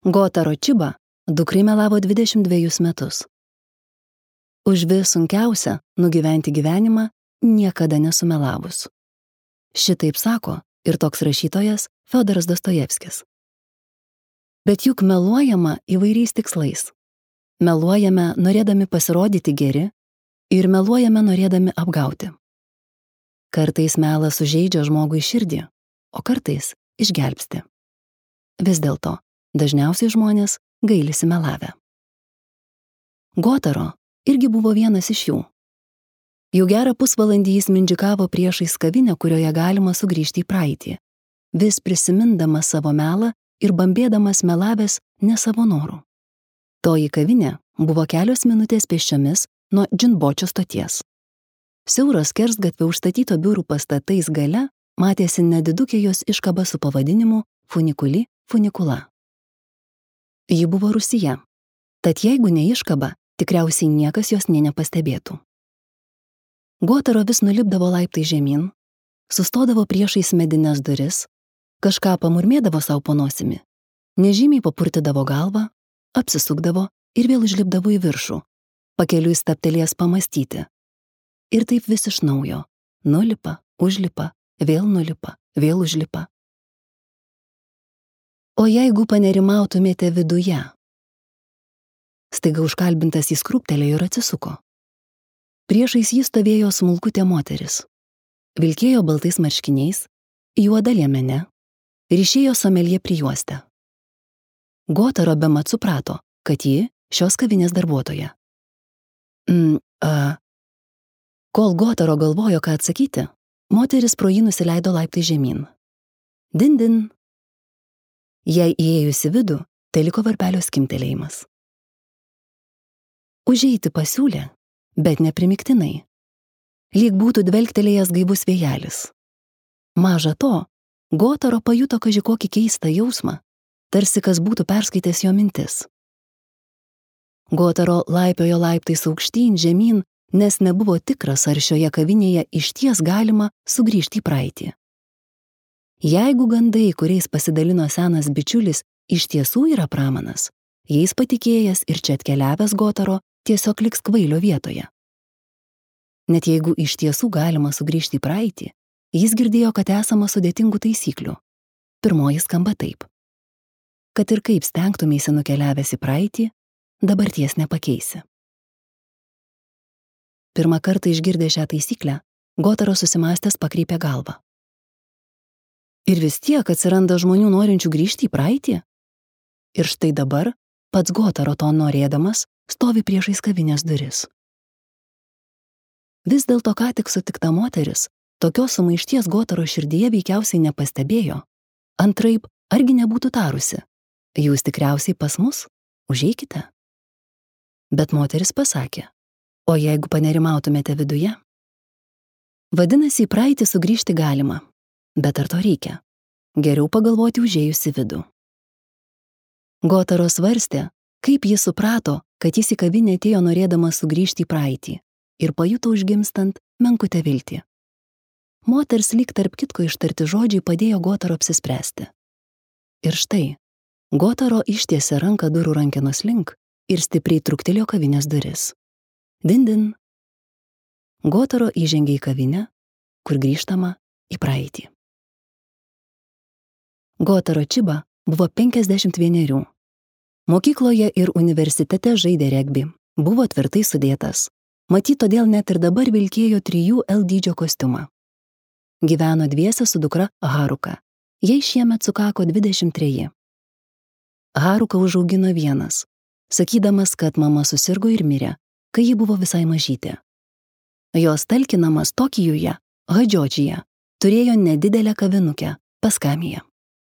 Gotaro Chiba dukrai melavo 22 metus. Už vis sunkiausia nugyventi gyvenimą niekada nesumelavus. Šitaip sako ir toks rašytojas Fiodoras Dostojevskis. Bet juk meluojama įvairiais tikslais. Meluojame norėdami pasirodyti geri ir meluojame norėdami apgauti. Kartais melas sužeidžia žmogui širdį, o kartais išgelbsti. Vis dėlto, dažniausiai žmonės gailisi melavę. Gotaro irgi buvo vienas iš jų. Jau gerą pusvalandį jis mindžikavo priešais kavinę, kurioje galima sugrįžti į praeitį, vis prisimindamas savo melą ir bambėdamas melavęs ne savo norų. Toji kavinė buvo kelios minutės pėsčiomis nuo Džinbočio stoties. Siauros skersgatvio užstatyto biurų pastatais gale matėsi nedidukė jos iškaba su pavadinimu Funikuli Funikula. Ji buvo rūsyje, tad jeigu ne iškaba, tikriausiai niekas jos nė nepastebėtų. Gotaro vis nulipdavo laiptai žemyn, sustodavo priešais medines duris, kažką pamurmėdavo savo po nosimi, nežymiai papurtydavo galvą, apsisukdavo ir vėl užlipdavo į viršų, pakeliui stabtelėjęs pamastyti. Ir taip vis iš naujo. Nulipa, užlipa, vėl nulipa, vėl užlipa. O jeigu panerimautumėte viduje? Staiga užkalbintas jis krūptelėjo ir atsisuko. Priešais jį stovėjo smulkutė moteris. Vilkėjo baltais marškiniais, juoda liemene, ryšėjo someljė prijuostę. Gotaro bemat suprato, kad ji šios kavinės darbuotoja. Kol Gotaro galvojo, ką atsakyti, moteris pro jį nusileido laiptai žemyn. Din. Jei įėjus į vidų, tai liko varpelio skimtelėjimas. Užeiti pasiūlė, bet neprimiktinai. Lyg būtų dvelktelėjęs gaivus vėjelis. Maža to, Gotaro pajuto kaži kokį keistą jausmą, tarsi kas būtų perskaitęs jo mintis. Gotaro laipiojo laiptais aukštyn, žemyn, nes nebuvo tikras, ar šioje kavinėje išties galima sugrįžti į praeitį. Jeigu gandai, kuriais pasidalino senas bičiulis, iš tiesų yra pramanas, jais patikėjęs ir čia atkeliavęs Gotaro tiesiog liks kvailio vietoje. Net jeigu iš tiesų galima sugrįžti į praeitį, jis girdėjo, kad esama sudėtingų taisyklių. Pirmoji skamba taip. Kad ir kaip stengtumėsi nukeliavęs į praeitį, dabarties nepakeisi. Pirmą kartą išgirdęs šią taisyklę, Gotaro susimąstęs pakreipė galvą. Ir vis tiek atsiranda žmonių norinčių grįžti į praeitį? Ir štai dabar, pats Gotaro to norėdamas, stovi priešais kavinės duris. Vis dėlto ką tik sutikta moteris, tokios sumaišties Gotaro širdyje veikiausiai nepastebėjo. Antraip, argi nebūtų tarusi? Jūs tikriausiai pas mus? Užeikite. Bet moteris pasakė. O jeigu panerimautumėte viduje? Vadinasi, į praeitį sugrįžti galima, bet ar to reikia? Geriau pagalvoti užėjus į vidų. Gotaro svarstė, kaip jis suprato, kad jis į kavinę atėjo norėdamas sugrįžti į praeitį ir pajuto užgimstant menkutę viltį. Moters lyg tarp kitko ištarti žodžiai padėjo Gotaro apsispręsti. Ir štai, Gotaro ištiesė ranką durų rankenos link ir stipriai truktelėjo kavinės duris. Din. Gotaro įžengė į kavinę, kur grįžtama į praeitį. Gotaro Chiba buvo 51. Mokykloje ir universitete žaidė regbį, buvo tvirtai sudėtas. Matyt, todėl net ir dabar vilkėjo 3L dydžio kostiumą. Gyveno dviese su dukra Haruka. Jai šiemet sukako 23. Haruka užaugino vienas, sakydamas, kad mama susirgo ir mirė, kai ji buvo visai mažytė. Jos talkinamas Tokijuje, Hadžiodžyje, turėjo nedidelę kavinukę Paskamiją.